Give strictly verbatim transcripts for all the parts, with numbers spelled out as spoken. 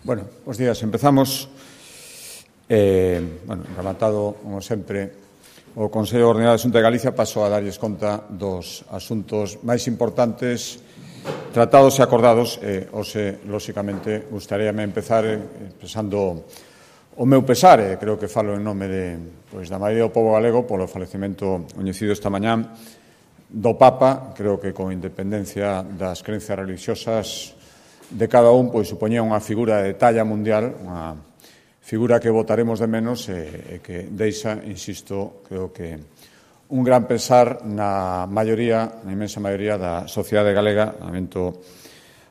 Bueno, os días, empezamos, eh, bueno, rematado, como sempre, o Consello Ordinario da Xunta de Galicia, paso a darlles conta dos asuntos máis importantes tratados e acordados. Eh, hoxe, lóxicamente, gustaríame empezar eh, expresando o meu pesar, e creo que falo en nome de, pois, da maioría do pobo galego polo falecemento coñecido esta mañá do Papa. Creo que con independencia das creencias religiosas de cada un, pois supoñía unha figura de talla mundial, unha figura que votaremos de menos e, e que deixa, insisto, creo que un gran pesar na maioría, na inmensa maioría da sociedade galega. Lamento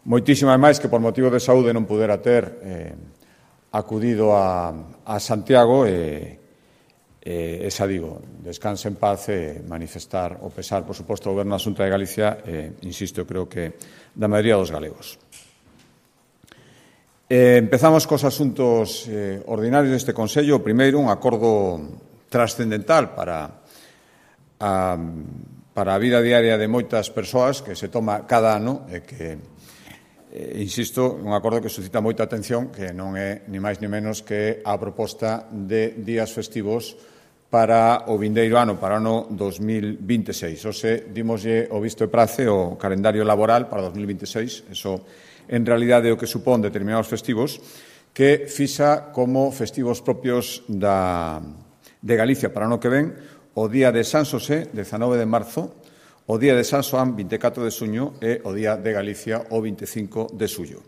moitísimo, ademais, que por motivo de saúde non pudera ter eh, acudido a, a Santiago e, e esa digo, descanse en paz e manifestar o pesar, por suposto, ao Goberno da Xunta de Galicia e, insisto, creo que da maioría dos galegos. Eh, empezamos cos asuntos eh, ordinarios deste Consello. O primeiro, un acordo trascendental para a, para a vida diaria de moitas persoas que se toma cada ano e que, eh, insisto, un acordo que suscita moita atención, que non é ni máis ni menos que a proposta de días festivos para o vindeiro ano, para o ano dos mil vinte e seis. Ose, dimoslle o visto e prace o calendario laboral para dos mil vinte e seis, eso en realidade o que supón determinados festivos, que fixa como festivos propios da, de Galicia para o ano que ven o día de San Xosé, dezanove de marzo, o día de San Xoán, vinte e catro de xuño, e o día de Galicia, o vinte e cinco de xullo.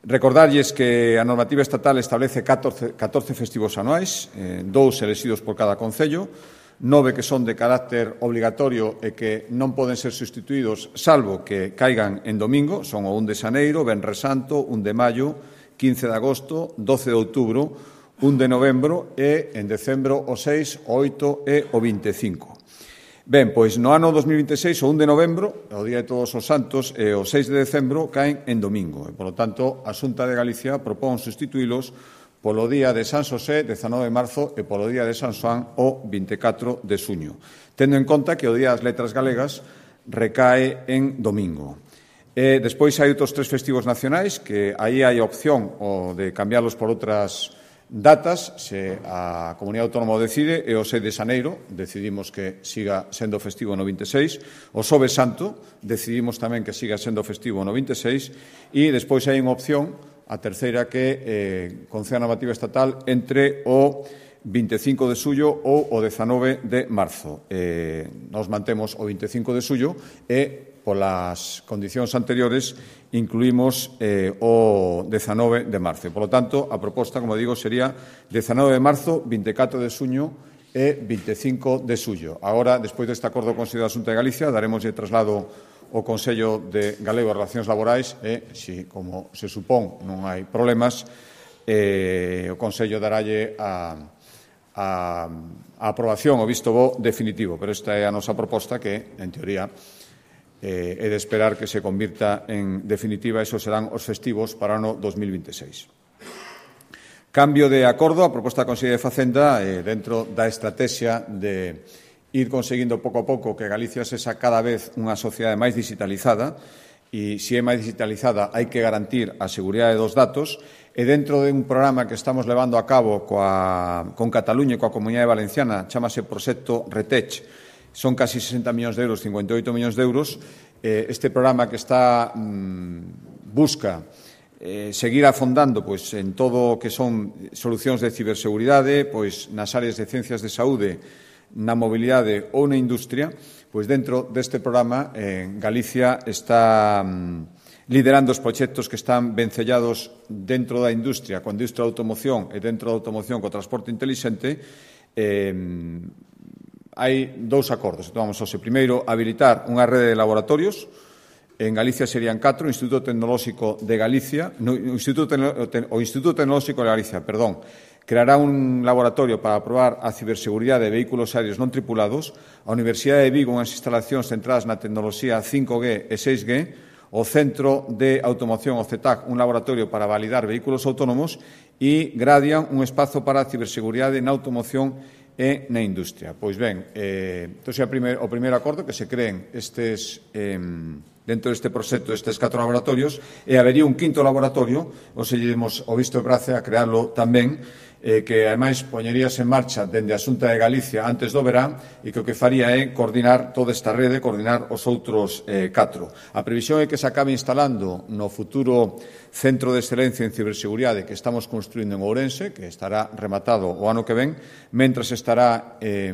Recordarlles que a normativa estatal establece catorce, catorce festivos anuais, eh, dous elexidos por cada concello, nove que son de carácter obligatorio e que non poden ser sustituídos salvo que caigan en domingo, son o un de xaneiro, Venres Santo, un de maio, quince de agosto, doce de outubro, un de novembro e, en decembro, o seis, o oito e o vinte e cinco. Ben, pois no ano dos mil vinte e seis, o un de novembro, o Día de Todos os Santos, e o seis de decembro caen en domingo. E, polo tanto, a Xunta de Galicia propón sustituílos polo día de San Xosé, dezanove de marzo, e polo día de San Xoán, o vinte e catro de xuño, tendo en conta que o Día das Letras Galegas recae en domingo. E despois hai outros tres festivos nacionais, que aí hai opción o de cambiarlos por outras datas, se a Comunidade Autónoma o decide, e o seis de xaneiro decidimos que siga sendo festivo no vinte e seis, o Xoves Santo decidimos tamén que siga sendo festivo no vinte e seis, e despois hai unha opción, a terceira, que eh, concede a normativa estatal entre o vinte e cinco de xullo ou o dezanove de marzo. Eh, nos mantemos o vinte e cinco de xullo e, polas condicións anteriores, incluímos eh, o dezanove de marzo. Por lo tanto, a proposta, como digo, sería dezanove de marzo, vinte e catro de xuño e vinte e cinco de xullo. Agora, despois deste acordo con a Xunta de Galicia, daremos de traslado o Consello de Galego de Relacións Laborais e, se, como se supón, non hai problemas, eh, o Consello daralle a, a, a aprobación, o visto bo definitivo. Pero esta é a nosa proposta que, en teoría, eh, é de esperar que se convirta en definitiva. Esos serán os festivos para o ano dos mil vinte e seis. Cambio de acordo, a proposta da Consellería de Facenda, eh, dentro da estrategia de ir conseguindo pouco a pouco que Galicia sexa cada vez unha sociedade máis digitalizada, e se é máis digitalizada hai que garantir a seguridade dos datos, e dentro de un programa que estamos levando a cabo coa, con Cataluña e coa Comunidade Valenciana, chamase Proxecto Retech, son casi sesenta millóns de euros, cincuenta e oito millóns de euros. Eh, este programa que está mmm, busca eh, seguir afondando pois, en todo o que son solucións de ciberseguridade, pois, nas áreas de ciencias de saúde, na mobilidade ou na industria, pois dentro deste programa eh, Galicia está mm, liderando os proxectos que están vencellados dentro da industria, coa industria da automoción e dentro da automoción co transporte intelixente. Eh, hai dous acordos. Tomamos hoxe. Primeiro, habilitar unha rede de laboratorios. En Galicia serían catro, o Instituto Tecnolóxico de Galicia, no, o, Instituto o Instituto Tecnolóxico de Galicia, perdón, creará un laboratorio para probar a ciberseguridade de vehículos aéreos non tripulados, a Universidade de Vigo unhas instalacións centradas na tecnoloxía cinco G e seis G, o Centro de Automoción, o C E T A C, un laboratorio para validar vehículos autónomos, e Gradian, un espazo para a ciberseguridade na automoción e na industria. Pois ben, eh, entón, é o primeiro acordo que se creen estes, eh, dentro deste proxecto destes catro laboratorios, e habería un quinto laboratorio, ou se demos o visto de prace a crearlo tamén, eh, que ademais poñeríase en marcha dende a Xunta de Galicia antes do verán e que o que faría é coordinar toda esta rede, coordinar os outros eh, catro. A previsión é que se acabe instalando no futuro Centro de Excelencia en Ciberseguridade que estamos construindo en Ourense, que estará rematado o ano que ven, mentras estará eh,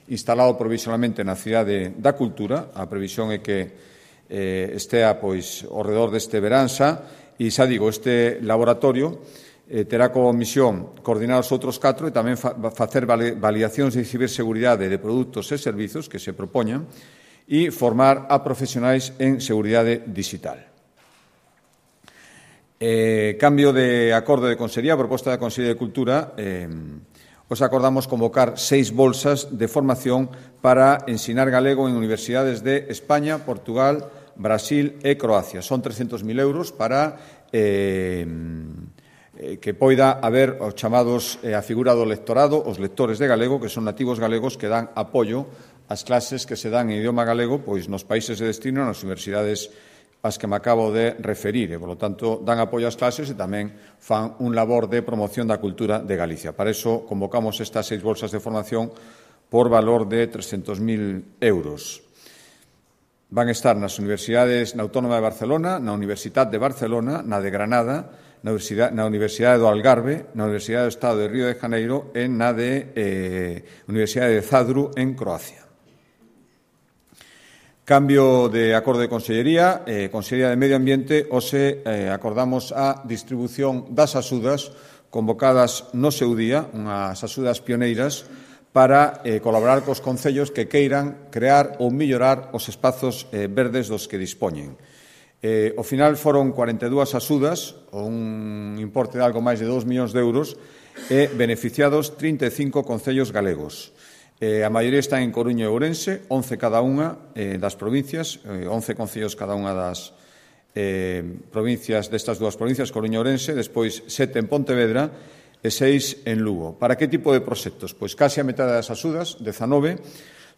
instalado provisionalmente na Cidade da Cultura. A previsión é que eh, estea pois ao redor deste verán xa, e xa digo, este laboratorio eh, terá como misión coordinar os outros catro e tamén fa facer validacións de ciberseguridade de produtos e servizos que se propoñan e formar a profesionais en seguridade digital. Eh, cambio de acordo de Consellería, proposta da Consellería de Cultura, eh, os acordamos convocar seis bolsas de formación para ensinar galego en universidades de España, Portugal, Brasil e Croacia. Son trescentos mil euros para eh, que poida haber os chamados eh, a figura do lectorado, os lectores de galego, que son nativos galegos que dan apoio ás clases que se dan en idioma galego pois nos países de destino, nas universidades as que me acabo de referir, e, polo tanto, dan apoio ás clases e tamén fan un labor de promoción da cultura de Galicia. Para iso, convocamos estas seis bolsas de formación por valor de trescentos mil euros. Van estar nas universidades na Autónoma de Barcelona, na Universitat de Barcelona, na de Granada, na Universidade, na Universidade do Algarve, na Universidade do Estado de Río de Janeiro e na de eh, Universidade de Zadru, en Croacia. Cambio de acordo de Consellería, eh, Consellería de Medio Ambiente, hoxe eh, acordamos a distribución das axudas convocadas no seu día, unhas axudas pioneiras, para eh, colaborar cos concellos que queiran crear ou mellorar os espazos eh, verdes dos que dispoñen. Eh, ao final foron cuarenta e dúas axudas, ou un importe de algo máis de dous millóns de euros, e beneficiados trinta e cinco concellos galegos. Eh, a maioría están en Coruña e Ourense, once cada unha eh, das provincias, eh, once concellos cada unha das eh, provincias destas dúas provincias, Coruña e Ourense, despois sete en Pontevedra e seis en Lugo. Para que tipo de proxectos? Pois case a metade das axudas, dezanove,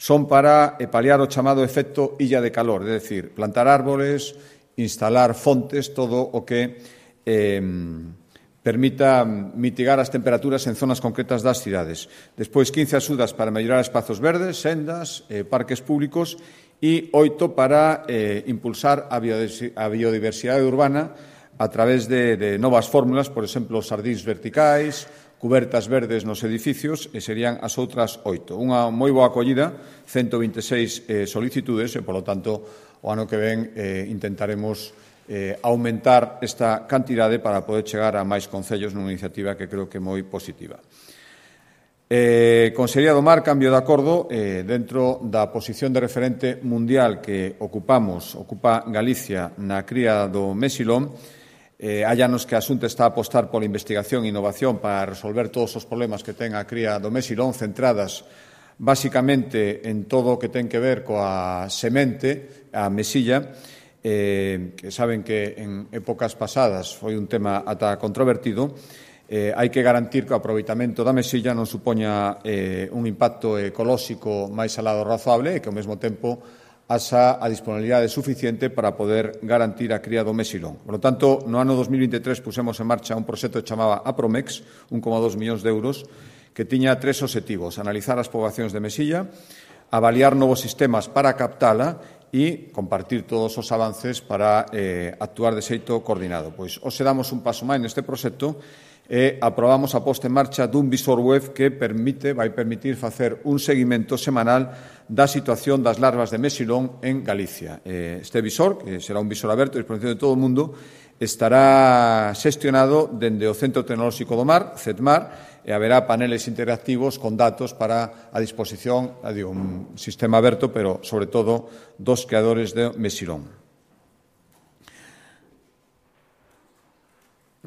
son para eh, paliar o chamado efecto illa de calor, é dicir, plantar árboles, instalar fontes, todo o que eh, permita mitigar as temperaturas en zonas concretas das cidades. Despois, quince axudas para mellorar espazos verdes, sendas, eh, parques públicos e oito para eh, impulsar a biodiversidade urbana a través de, de novas fórmulas, por exemplo, sardís verticais, cubertas verdes nos edificios, e serían as outras oito. Unha moi boa acollida, ciento vinte e seis eh, solicitudes, e, polo tanto, o ano que ven eh, intentaremos eh, aumentar esta cantidade para poder chegar a máis concellos nunha iniciativa que creo que é moi positiva. Eh, Consellería do Mar, cambio de acordo, eh, dentro da posición de referente mundial que ocupamos, ocupa Galicia na cría do mesilón, eh, hai anos que a Xunta está a apostar pola investigación e innovación para resolver todos os problemas que ten a cría do mesilón, centradas basicamente en todo o que ten que ver coa semente, a mesilla, eh, que saben que en épocas pasadas foi un tema ata controvertido. Eh, hai que garantir que o aproveitamento da mesilla non supoña eh, un impacto ecolóxico máis alado razoable e que ao mesmo tempo haxa a disponibilidade suficiente para poder garantir a cría do mesilón. Por lo tanto, no ano dos mil veintitrés pusemos en marcha un proxecto que chamaba Apromex, un coma dos millóns de euros, que tiña tres obxectivos: analizar as poboacións de mesilla, avaliar novos sistemas para captala e compartir todos os avances para eh, actuar de xeito coordinado. Pois hoxe damos un paso máis neste proxecto e aprobamos a posta en marcha dun visor web que permite, vai permitir facer un seguimento semanal da situación das larvas de mesilón en Galicia. Este visor, que será un visor aberto a disposición de todo o mundo, estará xestionado dende o Centro Tecnolóxico do Mar, CETMAR, e haberá paneles interactivos con datos para a disposición, digo, un sistema aberto, pero sobre todo dos creadores de mesilón.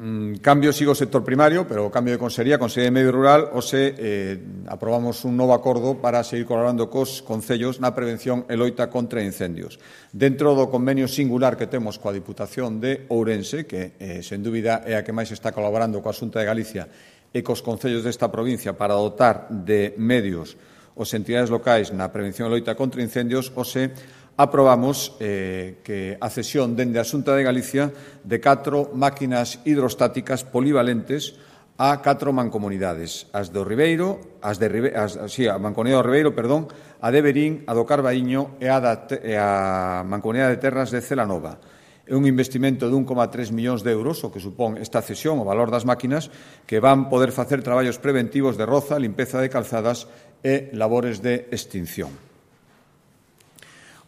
Mm, cambio, sigo o sector primario, pero cambio de consellería, Consellería de Medio Rural, hoxe eh, aprobamos un novo acordo para seguir colaborando cos concellos na prevención e loita contra incendios. Dentro do convenio singular que temos coa Diputación de Ourense, que, eh, sen dúbida, é a que máis está colaborando coa Xunta de Galicia e cos concellos desta provincia para dotar de medios os entidades locais na prevención e loita contra incendios, hoxe aprobamos eh, que a cesión dende a Xunta de Galicia de catro máquinas hidrostáticas polivalentes a catro mancomunidades, as do Ribeiro, as de Ribe, as, sí, a Mancomunidade do Ribeiro, perdón, a de Verín, a do Carbaíño e a, da, e a Mancomunidade de Terras de Celanova. É un investimento de un coma tres millóns de euros, o que supón esta cesión, o valor das máquinas, que van poder facer traballos preventivos de roza, limpeza de calzadas e labores de extinción.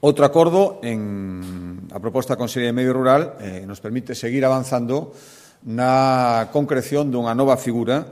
Outro acordo, en a proposta da Consellería de Medio Rural, eh, nos permite seguir avanzando na concreción dunha nova figura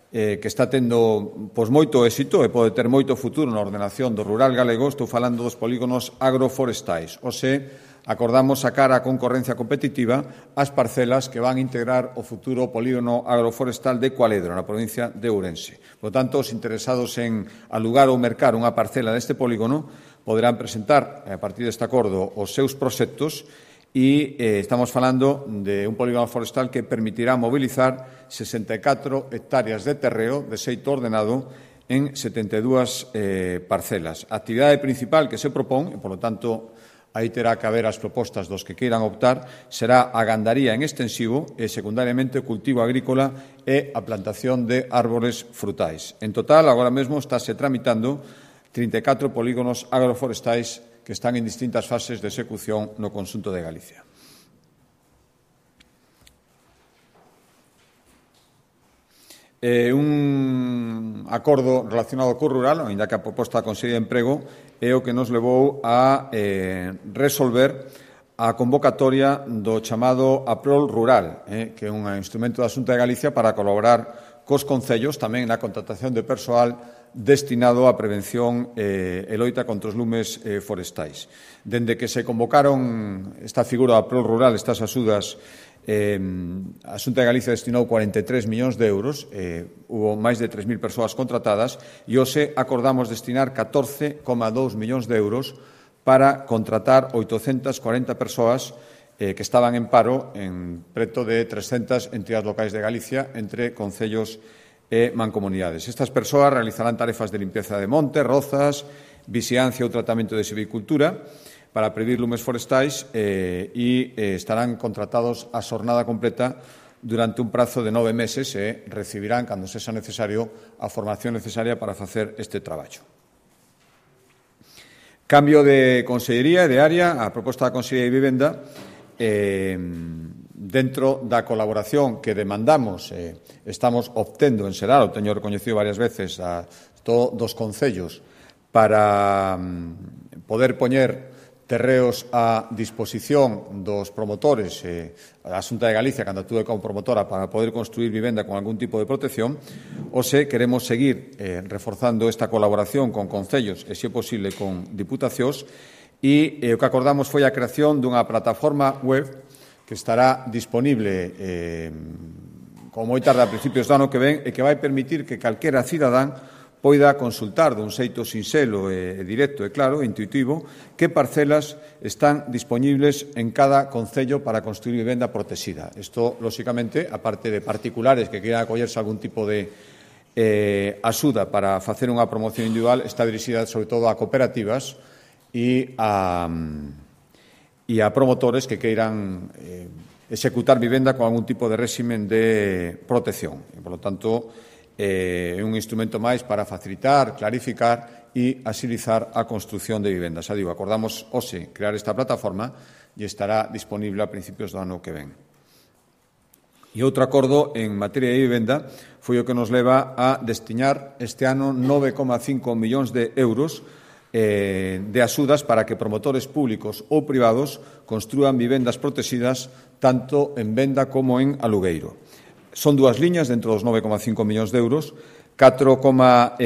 eh, que está tendo pois, moito éxito e pode ter moito futuro na ordenación do rural galego. Estou falando dos polígonos agroforestais. O se acordamos sacar a concorrencia competitiva as parcelas que van integrar o futuro polígono agroforestal de Cualedro, na provincia de Ourense. Por tanto, os interesados en alugar ou mercar unha parcela deste polígono poderán presentar, a partir deste acordo, os seus proxectos e eh, estamos falando de un polígono forestal que permitirá mobilizar sesenta e catro hectáreas de terreo de xeito ordenado en setenta e dúas eh, parcelas. A actividade principal que se propón, e, polo tanto, aí terá que haber as propostas dos que queiran optar, será a gandaría en extensivo e, secundariamente, o cultivo agrícola e a plantación de árbores frutais. En total, agora mesmo, estáse tramitando trinta e catro polígonos agroforestais que están en distintas fases de execución no conxunto de Galicia. Eh, un acordo relacionado co rural, ainda que a proposta da Consellería de Emprego, é o que nos levou a eh, resolver a convocatoria do chamado APROL Rural, eh, que é un instrumento da Xunta de Galicia para colaborar cos concellos tamén na contratación de persoal destinado á prevención eh, e loita contra os lumes eh, forestais. Dende que se convocaron esta figura da APROL Rural, estas axudas, eh, a Xunta de Galicia destinou cuarenta e tres millóns de euros, eh, hubo máis de tres mil persoas contratadas e hoxe acordamos destinar catorce coma dous millóns de euros para contratar oitocentas cuarenta persoas eh, que estaban en paro en preto de trescentas entidades locais de Galicia entre concellos e mancomunidades. Estas persoas realizarán tarefas de limpieza de montes, rozas, vixiancia ou tratamento de silvicultura para prevenir lumes forestais eh, e eh, estarán contratados a xornada completa durante un prazo de nove meses e recibirán, cando sexa necesario, a formación necesaria para facer este traballo. Cambio de consellería e de área, a proposta da Consellería de Vivenda, eh, dentro da colaboración que demandamos, eh, estamos obtendo en Seral, o teño recoñecido varias veces a todos os concellos, para um, poder poñer terreos a disposición dos promotores, eh, a Xunta de Galicia, cando actúe como promotora, para poder construir vivenda con algún tipo de protección, ou se queremos seguir eh, reforzando esta colaboración con concellos e, se é posible, con diputacións, e eh, o que acordamos foi a creación dunha plataforma web que estará disponible eh, como moi tarde a principios do ano que ven e que vai permitir que calquera cidadán poida consultar dun xeito sinxelo e directo e claro, e intuitivo, que parcelas están disponibles en cada concello para construir vivenda protegida. Isto, lóxicamente, aparte de particulares que queiran acollerse a algún tipo de eh, axuda para facer unha promoción individual, está dirixida sobre todo a cooperativas e a... e a promotores que queiran eh, executar vivenda con algún tipo de réximen de protección. E, por lo tanto, é eh, un instrumento máis para facilitar, clarificar e axilizar a construción de vivendas. Xa digo, acordamos hoxe crear esta plataforma e estará disponible a principios do ano que ven. E outro acordo en materia de vivenda foi o que nos leva a destinar este ano nove coma cinco millóns de euros Eh, de axudas para que promotores públicos ou privados construan vivendas protegidas tanto en venda como en alugueiro. Son dúas liñas dentro dos nove coma cinco millóns de euros, catro coma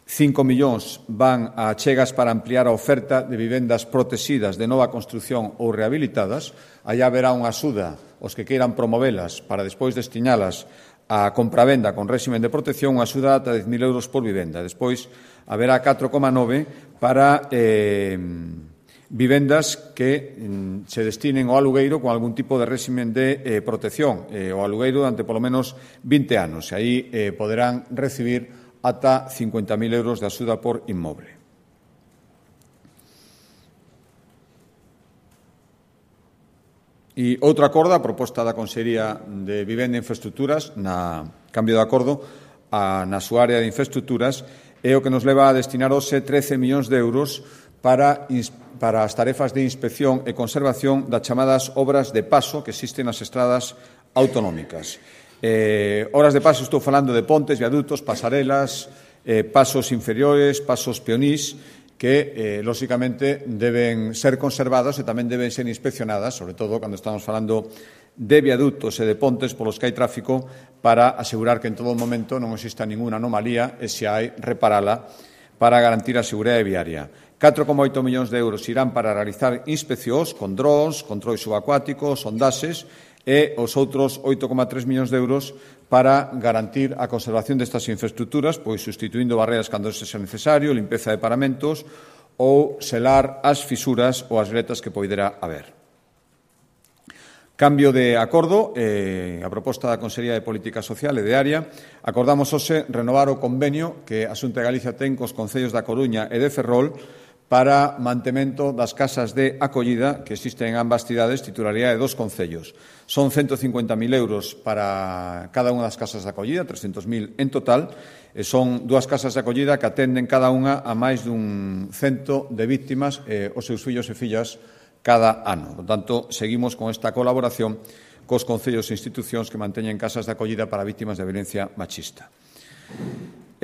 cinco millóns van a achegas para ampliar a oferta de vivendas protegidas de nova construción ou rehabilitadas. Allá haberá unha axuda os que queiran promovelas para despois destinalas a compravenda con réximen de protección, unha axuda ata dez mil euros por vivenda. Despois haberá catro coma nove para eh, vivendas que mm, se destinen ao alugueiro con algún tipo de réximen de eh, protección, eh, o alugueiro durante polo menos vinte anos. E aí eh, poderán recibir ata cincuenta mil euros de axuda por inmoble. E outro acordo, a proposta da Consellería de Vivenda e Infraestructuras, na cambio de acordo, a, na súa área de infraestructuras, é o que nos leva a destinar hoxe trece millóns de euros para, para as tarefas de inspección e conservación das chamadas obras de paso que existen nas estradas autonómicas. Eh, obras de paso, estou falando de pontes, viadutos, pasarelas, eh, pasos inferiores, pasos peonís, que, eh, lóxicamente, deben ser conservadas e tamén deben ser inspeccionadas, sobre todo cando estamos falando de viadutos e de pontes polos que hai tráfico, para asegurar que en todo momento non exista ninguna anomalía e, se hai, reparala para garantir a seguridade viaria. catro coma oito millóns de euros irán para realizar inspeccións con drons, controis subacuáticos, sondaxes, e os outros oito coma tres millóns de euros para garantir a conservación destas infraestructuras, pois sustituindo barreras cando sexa necesario, limpeza de paramentos ou selar as fisuras ou as gretas que poidera haber. Cambio de acordo, eh, a proposta da Consellería de Política Social e de Área, acordamos hoxe renovar o convenio que a Xunta de Galicia ten cos concellos da Coruña e de Ferrol para mantemento das casas de acollida que existen en ambas cidades, titularidade de dos concellos. Son ciento cincuenta mil euros para cada unha das casas de acollida, trescentos mil en total, e son dúas casas de acollida que atenden cada unha a máis dun cento de víctimas e os seus fillos e fillas cada ano. Por tanto, seguimos con esta colaboración cos concellos e institucións que manteñen casas de acollida para vítimas de violencia machista.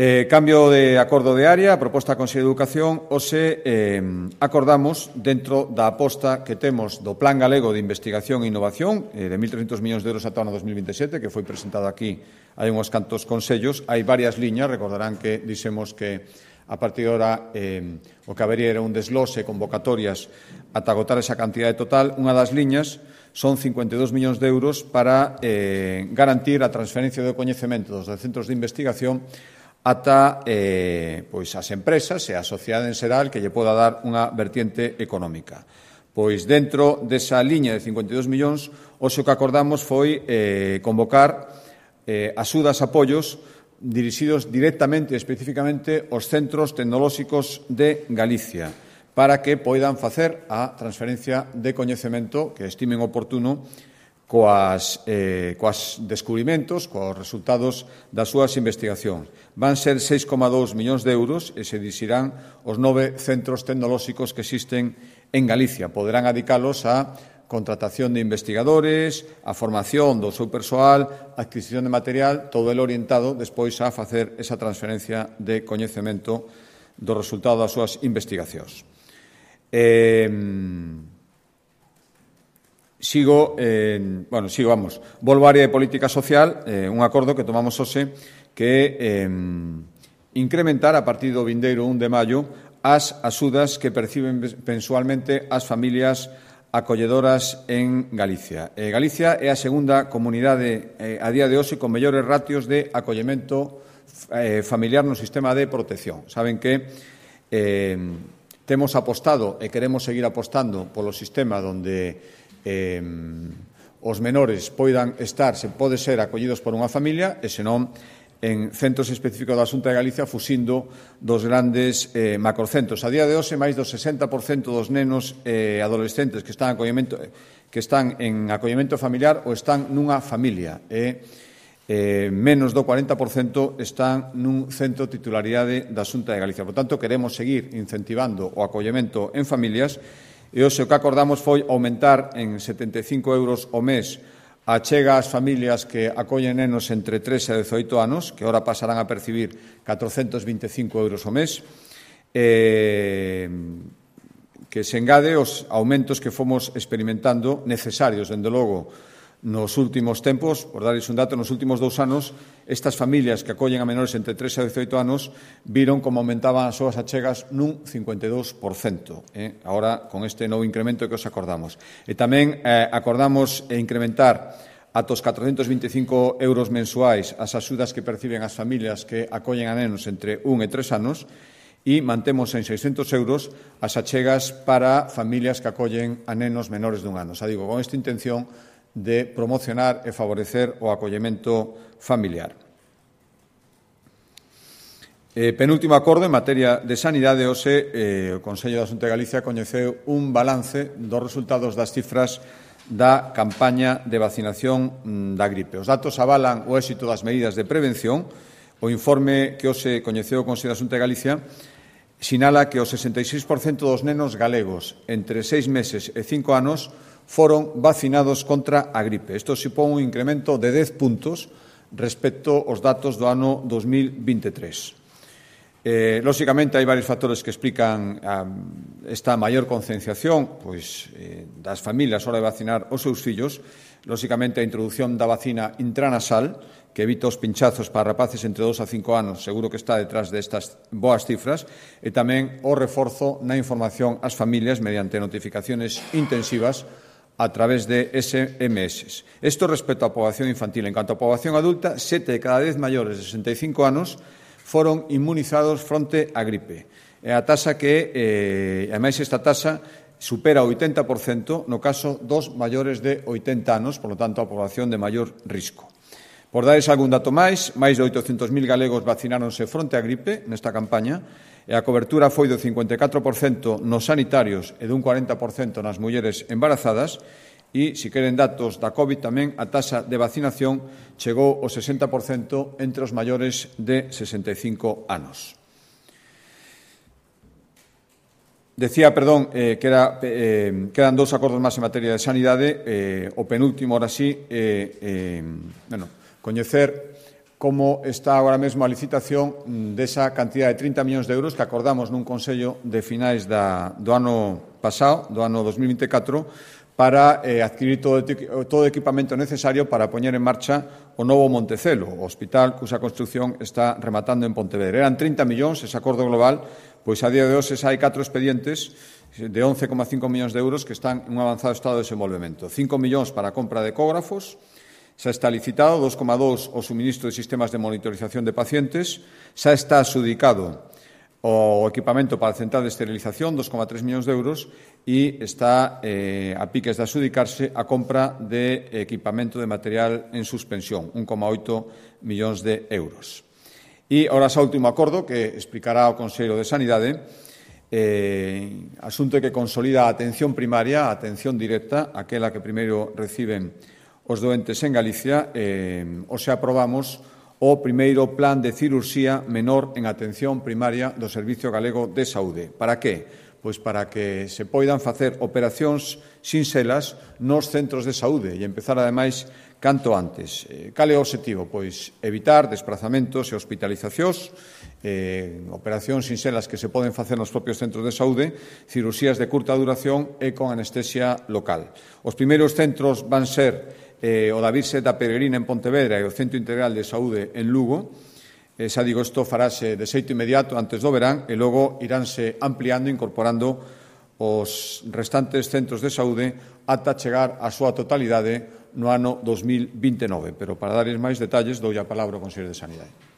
Eh, cambio de acordo de área, a proposta da Consellería de Educación, hoxe eh, acordamos, dentro da aposta que temos do Plan Galego de Investigación e Innovación, eh, de mil trescentos millóns de euros ata o ano dos mil veintisiete, que foi presentado aquí hai uns cantos consellos, hai varias liñas, recordarán que dixemos que a partir de ahora eh, o que habería era un deslose, convocatorias, ata agotar esa cantidade total. Unha das liñas son cincuenta e dous millóns de euros para eh, garantir a transferencia do coñecemento dos centros de investigación ata eh, pois as empresas e a sociedade en xeral que lle poda dar unha vertiente económica. Pois dentro desa liña de cincuenta e dous millóns, hoxe o que acordamos foi eh, convocar eh, axudas, apoios dirixidos directamente e especificamente aos centros tecnolóxicos de Galicia para que poidan facer a transferencia de coñecemento que estimen oportuno coas, eh, coas descubrimentos, coas resultados das súas investigacións. Van ser seis coma dous millóns de euros e se dirixirán os nove centros tecnolóxicos que existen en Galicia. Poderán adicalos a contratación de investigadores, a formación do seu persoal, a adquisición de material, todo el orientado despois a facer esa transferencia de coñecemento do resultado das súas investigacións. Eh, sigo, eh, bueno, sigo, vamos, volvo á área de política social, eh, un acordo que tomamos hoxe que é eh, incrementar a partir do vindeiro un de maio as axudas que perciben mensualmente as familias acolledoras en Galicia. Eh, Galicia é a segunda comunidade eh, a día de hoxe con mellores ratios de acollemento eh, familiar no sistema de protección. Saben que eh, temos apostado e queremos seguir apostando polo sistema onde eh, os menores poidan estar, se pode ser, acollidos por unha familia e, senón, en centros específicos da Xunta de Galicia fuxindo dos grandes eh, macrocentros. A día de hoxe, máis do sesenta por cento dos nenos e eh, adolescentes que están, acollemento, que están en acollemento familiar ou están nunha familia e eh, menos do cuarenta por cento están nun centro titularidade da Xunta de Galicia. Por tanto, queremos seguir incentivando o acollemento en familias e hoxe o que acordamos foi aumentar en setenta e cinco euros ao mes a chega ás familias que acollen nenos entre tres e dezoito anos, que agora pasarán a percibir catrocentos vinte e cinco euros ao mes, eh, que se engade os aumentos que fomos experimentando necesarios, dende logo, nos últimos tempos. Por darles un dato, nos últimos dous anos, estas familias que acollen a menores entre tres e dezoito anos viron como aumentaban as súas achegas nun cincuenta e dous por cento. Eh? Agora, con este novo incremento que os acordamos. E tamén eh, acordamos incrementar ata os catrocentos vinte e cinco euros mensuais as axudas que perciben as familias que acollen a nenos entre un e tres anos e mantemos en seiscentos euros as achegas para familias que acollen a nenos menores dun ano. Xa digo, con esta intención de promocionar e favorecer o acollemento familiar. Eh, penúltimo acordo en materia de sanidade, hoxe eh, o Consello da Xunta de Galicia coñeceu un balance dos resultados das cifras da campaña de vacinación da gripe. Os datos avalan o éxito das medidas de prevención. O informe que hoxe coñeceu o Consello da Xunta de Galicia sinala que o sesenta e seis por cento dos nenos galegos entre seis meses e cinco anos foron vacinados contra a gripe. Isto supón un incremento de dez puntos respecto aos datos do ano dos mil vinte e tres. Eh, lóxicamente, hai varios factores que explican a, esta maior concienciación pois, eh, das familias a hora de vacinar os seus fillos. Lóxicamente, a introducción da vacina intranasal, que evita os pinchazos para rapaces entre dos a cinco anos, seguro que está detrás destas boas cifras, e tamén o reforzo na información ás familias mediante notificaciones intensivas a través de S M S. Isto respecto á poboación infantil. En canto á poboación adulta, sete de cada dez maiores de sesenta e cinco anos foron inmunizados fronte á gripe. É a taxa que, eh, ademais, esta taxa supera o oitenta por cento no caso dos maiores de oitenta anos, por lo tanto, a poboación de maior risco. Por dares algún dato máis, máis de oitocentos mil galegos vacináronse fronte á gripe nesta campaña e a cobertura foi do cincuenta e catro por cento nos sanitarios e dun cuarenta por cento nas mulleres embarazadas. E, se queren datos da COVID, tamén a taxa de vacinación chegou ao sesenta por cento entre os maiores de sesenta e cinco anos. Decía, perdón, eh, que era, eh, quedan dous acordos máis en materia de sanidade. Eh, o penúltimo, ahora sí, eh, eh, bueno, coñecer como está agora mesmo a licitación desa cantidad de trinta millóns de euros que acordamos nun Consello de finais da, do ano pasado, do ano dos mil vinte e catro, para eh, adquirir todo, todo o equipamento necesario para poñer en marcha o novo Montecelo, o hospital cuxa construción está rematando en Pontevedra. Eran trinta millóns ese acordo global, pois a día de hoxe hai catro expedientes de once coma cinco millóns de euros que están en un avanzado estado de desenvolvemento. cinco millóns para a compra de ecógrafos, xa está licitado, dos coma dos o suministro de sistemas de monitorización de pacientes, xa está adxudicado o equipamento para a central de esterilización, dos coma tres millóns de euros, e está eh, a piques de adxudicarse a compra de equipamento de material en suspensión, un coma oito millóns de euros. E, ahora, xa último acordo que explicará o Consello de Sanidade, eh, asunto que consolida a atención primaria, a atención directa, aquela que primeiro reciben os doentes en Galicia. Eh, o se aprobamos o primeiro plan de cirurxía menor en atención primaria do Servicio Galego de Saúde. Para que? Pois para que se poidan facer operacións sinxelas nos centros de saúde e empezar, ademais, canto antes. Eh, cal é o obxectivo? Pois evitar desplazamentos e hospitalizacións, eh, operacións sinxelas que se poden facer nos propios centros de saúde, cirurxías de curta duración e con anestesia local. Os primeiros centros van ser Eh, o da Virxe da Peregrina en Pontevedra e o Centro Integral de Saúde en Lugo. Eh, xa digo, isto farase de xeito inmediato antes do verán e logo iránse ampliando, incorporando os restantes centros de saúde ata chegar á súa totalidade no ano dos mil vinte e nove. Pero para darles máis detalles, dou a palabra ao Consello de Sanidade.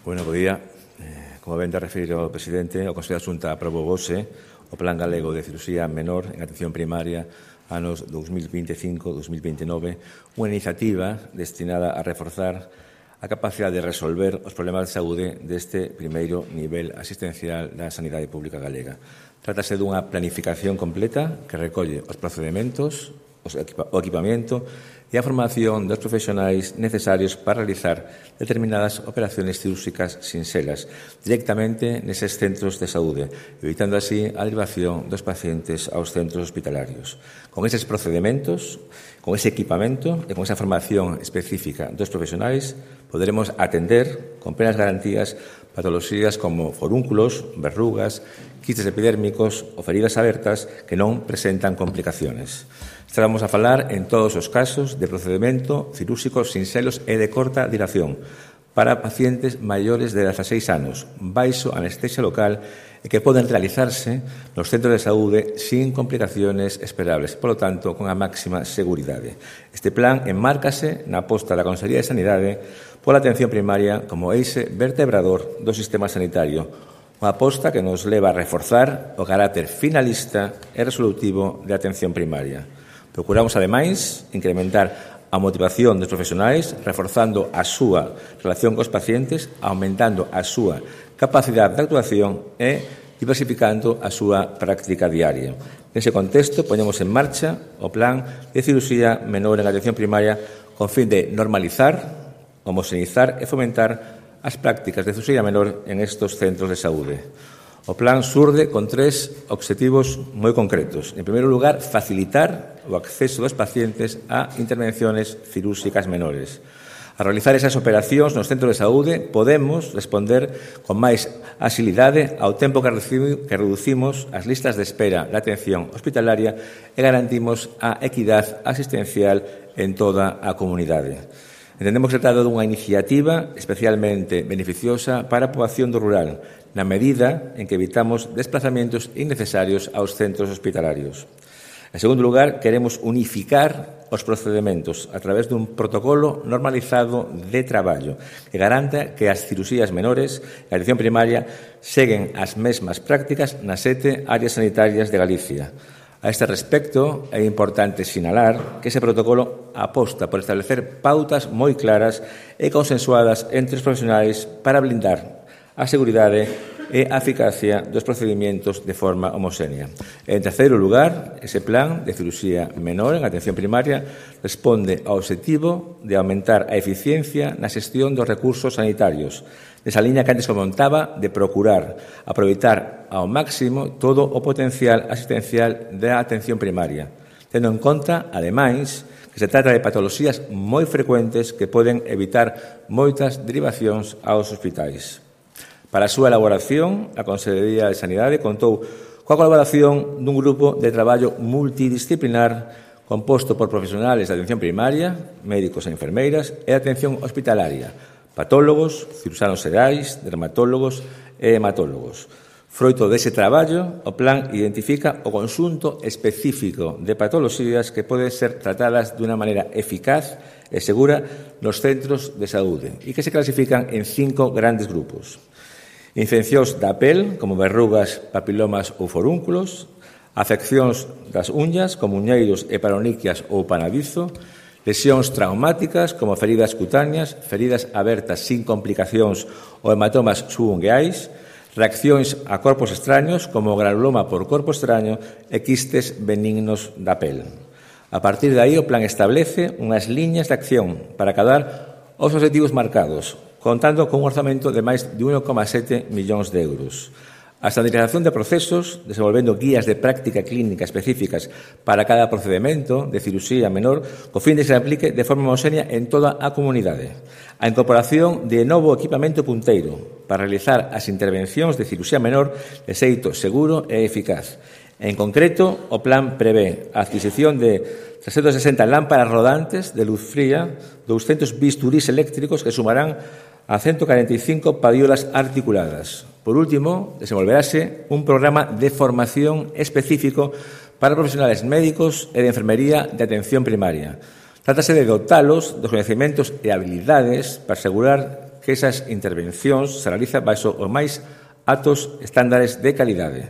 Bueno, bo día. Como ben te referiu o presidente, o Consello da Xunta aprobou hoxe o Plan Galego de Cirurxía Menor en Atención Primaria anos dos mil vinte e cinco a dos mil vinte e nove, unha iniciativa destinada a reforzar a capacidade de resolver os problemas de saúde deste primeiro nivel asistencial da sanidade pública galega. Trátase dunha planificación completa que recolle os procedementos, o equipamento e a formación dos profesionais necesarios para realizar determinadas operacións cirúrxicas sinxelas directamente neses centros de saúde, evitando así a derivación dos pacientes aos centros hospitalarios. Con eses procedementos, con ese equipamento e con esa formación específica dos profesionais, poderemos atender con plenas garantías patoloxías como forúnculos, verrugas, quistes epidérmicos ou feridas abertas que non presentan complicaciones. Estamos a falar en todos os casos de procedimento cirúrxicos sinxelos e de corta duración para pacientes maiores de dezaseis anos, baixo anestesia local e que poden realizarse nos centros de saúde sin complicaciones esperables, polo tanto, con a máxima seguridade. Este plan enmárcase na aposta da Consellería de Sanidade pola atención primaria como eixe vertebrador do sistema sanitario, Unha aposta que nos leva a reforzar o carácter finalista e resolutivo de atención primaria. Procuramos, ademais, incrementar a motivación dos profesionais, reforzando a súa relación cos pacientes, aumentando a súa capacidade de actuación e diversificando a súa práctica diaria. Nese contexto, poñemos en marcha o Plan de Cirurxía Menor en Atención Primaria con fin de normalizar, homoxeneizar e fomentar as prácticas de cirurxía menor en estes centros de saúde. O plan surde con tres obxectivos moi concretos. En primeiro lugar, facilitar o acceso dos pacientes a intervenciones cirúrxicas menores. A realizar esas operacións nos centros de saúde podemos responder con máis axilidade ao tempo que reducimos as listas de espera da atención hospitalaria e garantimos a equidade asistencial en toda a comunidade. Entendemos que se trata dunha iniciativa especialmente beneficiosa para a poboación do rural, na medida en que evitamos desplazamentos innecesarios aos centros hospitalarios. En segundo lugar, queremos unificar os procedementos a través dun protocolo normalizado de traballo que garanta que as cirurxías menores e a atención primaria seguen as mesmas prácticas nas sete áreas sanitarias de Galicia. A este respecto, é importante sinalar que ese protocolo aposta por establecer pautas moi claras e consensuadas entre os profesionais para blindar a seguridade e a eficacia dos procedimentos de forma homoxénea. En terceiro lugar, ese plan de cirurxía menor en atención primaria responde ao obxectivo de aumentar a eficiencia na xestión dos recursos sanitarios, nesa liña que antes comentaba de procurar aproveitar ao máximo todo o potencial asistencial da atención primaria, tendo en conta, ademais, que se trata de patoloxías moi frecuentes que poden evitar moitas derivacións aos hospitais. Para a súa elaboración, a Consellería de Sanidade contou coa colaboración dun grupo de traballo multidisciplinar composto por profesionales de atención primaria, médicos e enfermeiras e de atención hospitalaria, patólogos, ciruxanos xerais, dermatólogos e hematólogos. Froito dese traballo, o plan identifica o conxunto específico de patoloxías que poden ser tratadas dunha maneira eficaz e segura nos centros de saúde e que se clasifican en cinco grandes grupos. Infeccións da pel, como verrugas, papilomas ou forúnculos, afeccións das uñas, como uñeiros e paroniquias ou panadizo, lesións traumáticas, como feridas cutáneas, feridas abertas sin complicacións ou hematomas subungueais, reaccións a corpos extraños, como granuloma por corpo extraño e quistes benignos da pel. A partir de aí, o plan establece unhas liñas de acción para acadar os objetivos marcados, contando con un orzamento de máis de un coma sete millóns de euros. A estandarización de procesos, desenvolvendo guías de práctica clínica específicas para cada procedimento de cirurxía menor, co fin de que se aplique de forma homoxénea en toda a comunidade. A incorporación de novo equipamento punteiro para realizar as intervencións de cirurxía menor de xeito seguro e eficaz. En concreto, o plan prevé a adquisición de trescentas sesenta lámparas rodantes de luz fría, douscentos bisturís eléctricos que sumarán a ciento cuarenta e cinco padiolas articuladas. Por último, desenvolverase un programa de formación específico para profesionales médicos e de enfermería de atención primaria. Trátase de dotalos dos coñecementos e habilidades para asegurar que esas intervencións se realizan baixo os máis altos estándares de calidade.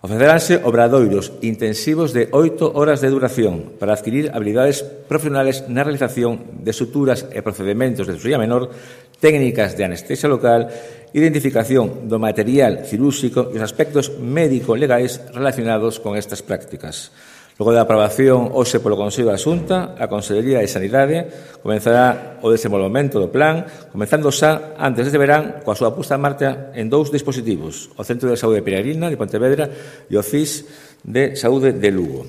Ofreceránse obradoiros intensivos de oito horas de duración para adquirir habilidades profesionales na realización de suturas e procedimentos de cirurxía menor, técnicas de anestesia local, identificación do material cirúrxico e os aspectos médico-legais relacionados con estas prácticas. Logo da aprobación hoxe polo Consello da Xunta, a Consellería de Sanidade comenzará o desenvolvemento do plan, comenzando xa antes deste verán coa súa puesta en marcha en dous dispositivos, o Centro de Saúde de Peregrina de Pontevedra e o C I S de Saúde de Lugo.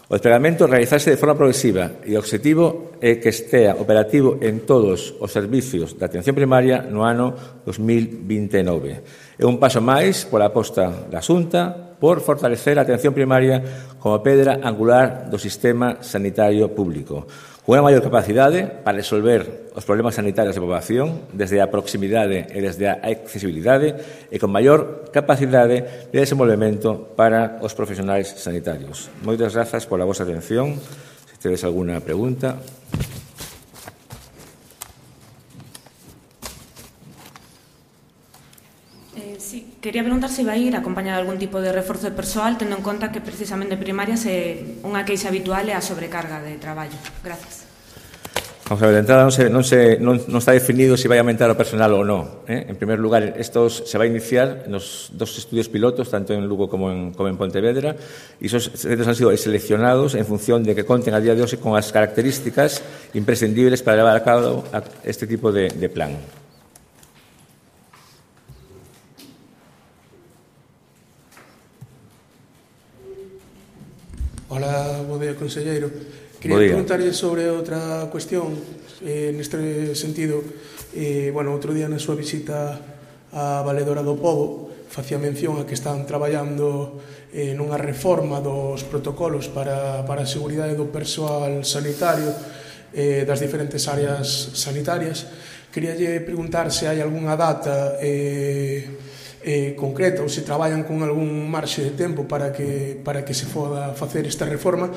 O desplegamento realizarse de forma progresiva e o objetivo é que estea operativo en todos os servicios de atención primaria no ano dos mil vinte e nove. É un paso máis pola aposta da Xunta por fortalecer a atención primaria como pedra angular do sistema sanitario público, con unha maior capacidade para resolver os problemas sanitarios da poboación desde a proximidade e desde a accesibilidade e con maior capacidade de desenvolvemento para os profesionais sanitarios. Moitas grazas pola vosa atención. Se tedes alguna pregunta. sí, quería preguntar se vai ir acompañado de algún tipo de reforzo de persoal, tendo en conta que precisamente en primaria se, unha queixa habitual é a sobrecarga de traballo. Gracias. Vamos a ver, de entrada non, se, non, se, non, non está definido se vai aumentar o personal ou non. ¿eh? En primer lugar, estos se vai iniciar nos dos estudios pilotos, tanto en Lugo como en, como en Pontevedra, e esos centros han sido seleccionados en función de que conten a día de hoxe con as características imprescindibles para levar a cabo este tipo de, de plan. Hola, bo día, conselleiro. Quería preguntarlle sobre outra cuestión eh, neste sentido. Eh, bueno, outro día na súa visita á Valedora do Pobo facía mención a que están traballando eh, nunha reforma dos protocolos para, para a seguridade do persoal sanitario eh, das diferentes áreas sanitarias. Queríalle preguntar se hai algunha data eh, eh, concreta ou se traballan con algún marxe de tempo para que, para que se poda facer esta reforma,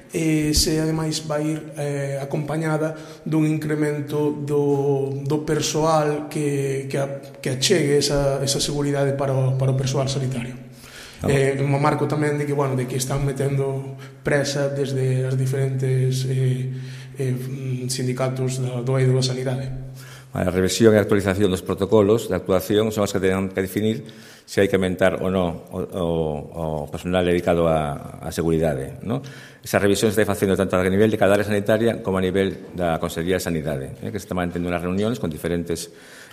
e se ademais vai ir eh, acompañada dun incremento do, do persoal que, que, a, que achegue esa, esa seguridade para o, para o persoal sanitario. Ah. Eh, un marco tamén de que, bueno, de que están metendo presa desde as diferentes eh, eh, sindicatos do, do eido da sanidade. A revisión e actualización dos protocolos de actuación son as que teñen que definir se hai que aumentar ou non o, o, o personal dedicado a, a seguridade, ¿no? Esa revisión se está facendo tanto a nivel de cada área sanitaria como a nivel da Consellería de Sanidade, ¿eh? que se está mantendo unhas reunións con diferentes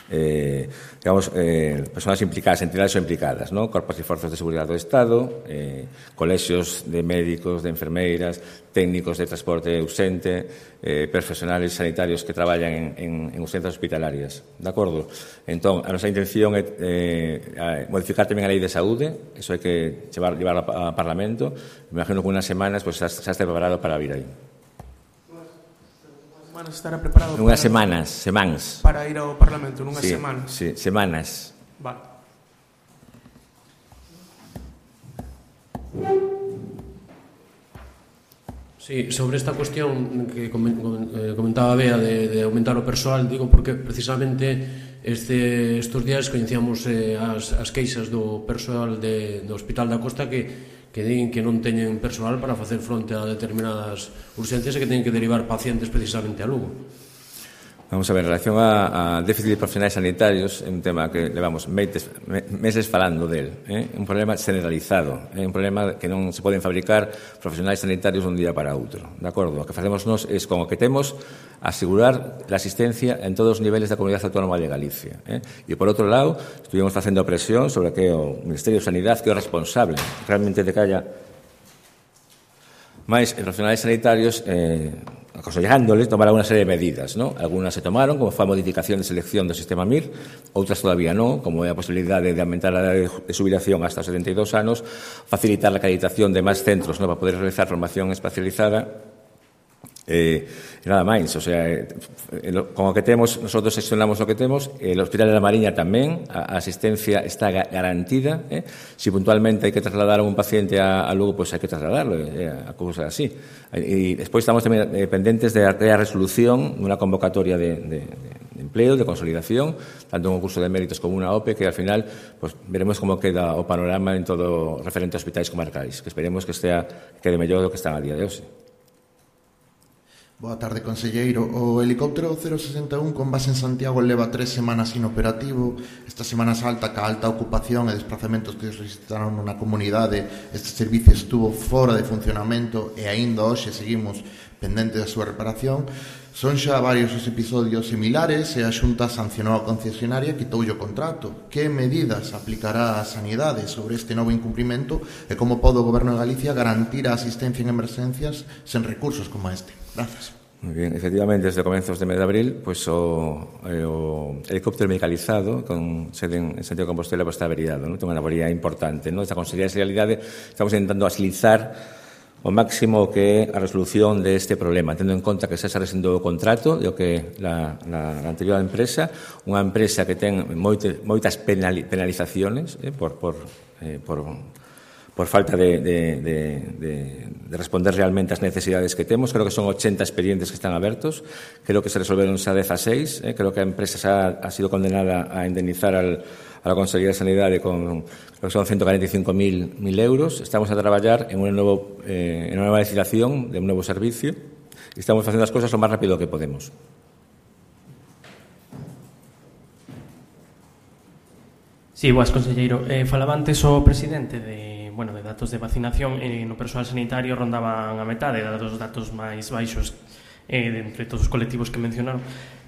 eh, digamos, eh, persoas implicadas, entidades ou implicadas, ¿no? Corpos e forzas de seguridade do Estado, eh, colexios de médicos, de enfermeiras, técnicos de transporte ausente, eh, profesionales sanitarios que traballan en, en, en urxencias hospitalarias, de acordo? Entón, a nosa intención é eh, modificar tamén a Lei de Saúde, eso hai que llevar, llevar a, a Parlamento, me imagino que unas semanas pues, xa, xa este preparado para vir aí. Estará preparado nunhas semanas, semáns. Para ir ao Parlamento, nunhas sí, semanas. Sí, semanas. Vale. Sí, sobre esta cuestión que comentaba Bea de, de aumentar o persoal, digo porque precisamente este, estes días coñecíamos eh, as, as queixas do persoal de, do Hospital da Costa que que din que non teñen persoal para facer fronte a determinadas urxencias e que teñen que derivar pacientes precisamente a Lugo. Vamos a ver, en relación a, a déficit de profesionais sanitarios, é un tema que levamos meses, meses falando del, é eh? un problema generalizado, é eh? un problema que non se poden fabricar profesionais sanitarios dun día para outro, de acordo? O que facemos nós é, con o que temos, asegurar a asistencia en todos os niveles da Comunidade Autónoma de Galicia. Eh? E, por outro lado, estuvimos facendo presión sobre que o Ministerio de Sanidade, que é o responsable realmente de que haya máis profesionais sanitarios, eh, aconsellándoles tomar alguna serie de medidas, ¿no? Algunas se tomaron, como foi a modificación de selección do sistema M I R, outras todavía non, como é a posibilidade de aumentar a edade de xubilación hasta os setenta e dous anos, facilitar a acreditación de máis centros, ¿no?, para poder realizar formación especializada. Eh, e nada máis, o sea, eh, con o que temos, nosotros gestionamos o que temos, el Hospital de la Mariña tamén, a, a asistencia está garantida, eh? Si puntualmente hai que trasladar a un paciente a, a Lugo, pois pues hai que trasladarlo, eh, a cousa así. E despois estamos tamén eh, pendentes de a resolución nunha convocatoria de, de, de empleo, de consolidación, tanto un concurso de méritos como unha O P E, que al final pues, veremos como queda o panorama en todo referente a hospitais comarcais, que esperemos que estea, que quede mellor do que están a día de hoxe. Boa tarde, conselleiro. O helicóptero cero sesenta e un con base en Santiago leva tres semanas inoperativo. Esta semana salta ca alta ocupación e desplazamentos que se registraron nunha comunidade. Este servicio estuvo fora de funcionamento e aínda hoxe seguimos pendentes da súa reparación. Son xa varios os episodios similares e a Xunta sancionou a concesionaria e quitoulle o contrato. Que medidas aplicará a Sanidade sobre este novo incumprimento e como pode o Goberno de Galicia garantir a asistencia en emerxencias sen recursos como este? Gracias. Muy bien, efectivamente, desde comenzos de mes de abril, pues o, o helicóptero medicalizado con sede en Santiago de Compostela pues, está averiado, ¿no? Ten unha avería importante, ¿no? Esta Consellería de Sanidade estamos intentando agilizar o máximo que a resolución de este problema, tendo en conta que se está rescindendo o contrato de o que la, la, la anterior empresa, unha empresa que ten moite, moitas penali, penalizaciones eh, por, por, eh, por por falta de, de, de, de, de responder realmente ás necesidades que temos. Creo que son ochenta expedientes que están abertos, creo que se resolveron xa dezasseis, eh? creo que a empresa xa ha sido condenada a indemnizar al, a la Consellería de Sanidade con, creo que son ciento cuarenta y cinco mil euros. Estamos a traballar en, un novo, eh, en unha nova licitación de un novo servicio e estamos facendo as cousas o máis rápido que podemos. Sí, boas, conselleiro. Eh, falaba antes o presidente de, bueno, de datos de vacinación eh, no persoal sanitario rondaban a metade dos datos máis baixos eh, de entre todos os colectivos que mencionaron.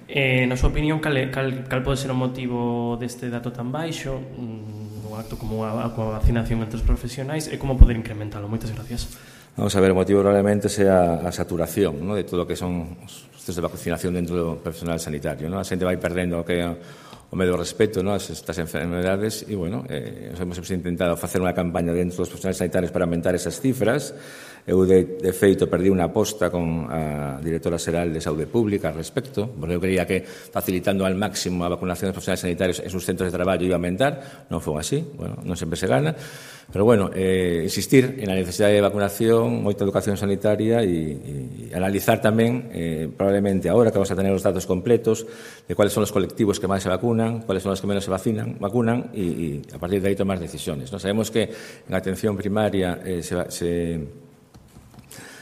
Eh, na súa opinión, cal, cal, cal pode ser o motivo deste dato tan baixo, un acto como a, a vacinación entre os profesionais, e como poder incrementalo? Moitas gracias. Vamos a ver, o motivo probablemente sea a saturación, ¿no?, de todo o que son os centros de vacinación dentro do personal sanitario, ¿no? A xente vai perdendo o que o medio respeto, ¿no?, a estas enfermedades e, bueno, eh, nos hemos intentado facer unha campaña dentro dos profesionales sanitarios para aumentar esas cifras. Eu, de, de feito, perdí unha aposta con a directora xeral de Saúde Pública al respecto, porque eu creía que facilitando al máximo a vacunación dos profesionales sanitarios en sus centros de traballo iba a aumentar. Non foi así, bueno, non sempre se gana, pero, bueno, eh, insistir en la necesidade de vacunación, moita educación sanitaria e, e analizar tamén, eh, probablemente, ahora que vamos a tener os datos completos de cuáles son os colectivos que máis se vacunan, cuáles son os que menos se vacinan, vacunan e, e a partir de aí tomar decisiones, ¿no? Sabemos que en atención primaria eh, se, se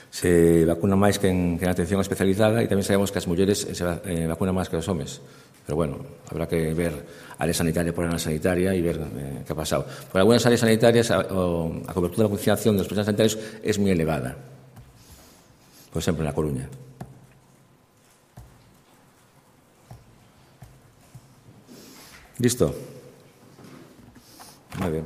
se vacuna máis que en, que en atención especializada e tamén sabemos que as mulleres se eh, vacunan máis que os homes. Pero, bueno, habrá que ver área sanitaria por área sanitaria e ver eh, que ha pasado. Por algunas áreas sanitarias a, o, a cobertura de vacunación dos profesionales sanitarios es moi elevada. Por exemplo, en La Coruña. ¿Listo? Muy bien.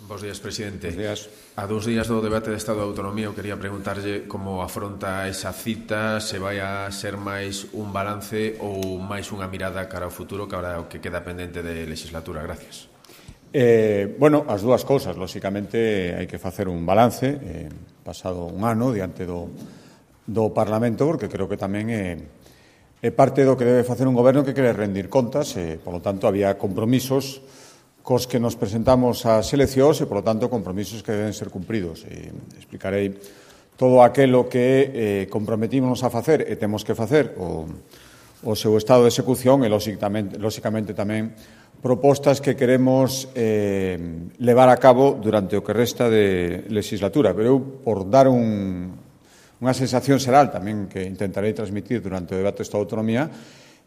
Bos días, presidente. Bos días. A dous días do debate de Estado de Autonomía, eu quería preguntarlle como afronta esa cita, se vai a ser máis un balance ou máis unha mirada cara ao futuro, que ahora o que queda pendente de legislatura. Gracias. Eh, bueno, as dúas cousas. Lóxicamente, hai que facer un balance, eh, pasado un ano, diante do, do Parlamento, porque creo que tamén é, é parte do que debe facer un goberno que quere rendir contas, e, por lo tanto, había compromisos cos que nos presentamos ás eleccións e, por lo tanto, compromisos que deben ser cumpridos. E explicarei todo aquilo que eh, comprometimos a facer e temos que facer o, o seu estado de execución e, lóxicamente, lóxicamente tamén, propostas que queremos eh, levar a cabo durante o que resta de legislatura. Pero eu, por dar un, unha sensación xeral tamén que intentarei transmitir durante o debate de Estado de Autonomía,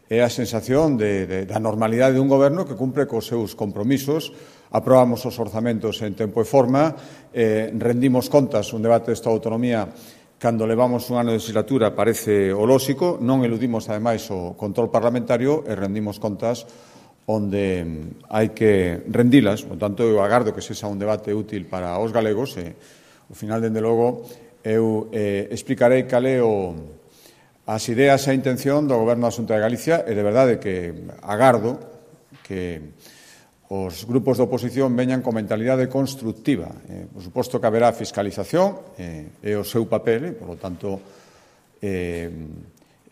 é a sensación de, de, da normalidade dun goberno que cumpre cos seus compromisos, aprobamos os orzamentos en tempo e forma, eh, rendimos contas, un debate de Estado de Autonomía cando levamos un ano de legislatura parece o lóxico, non eludimos ademais o control parlamentario e rendimos contas onde hai que rendilas. Por tanto, eu agardo que sexa un debate útil para os galegos e, ao final, dende logo, eu eh, explicarei cal é o as ideas e a intención do Goberno da Xunta de Galicia e, de verdade, que agardo que os grupos de oposición veñan con mentalidade constructiva. Eh, por suposto que haberá fiscalización, eh, é o seu papel, e, por lo tanto, eh,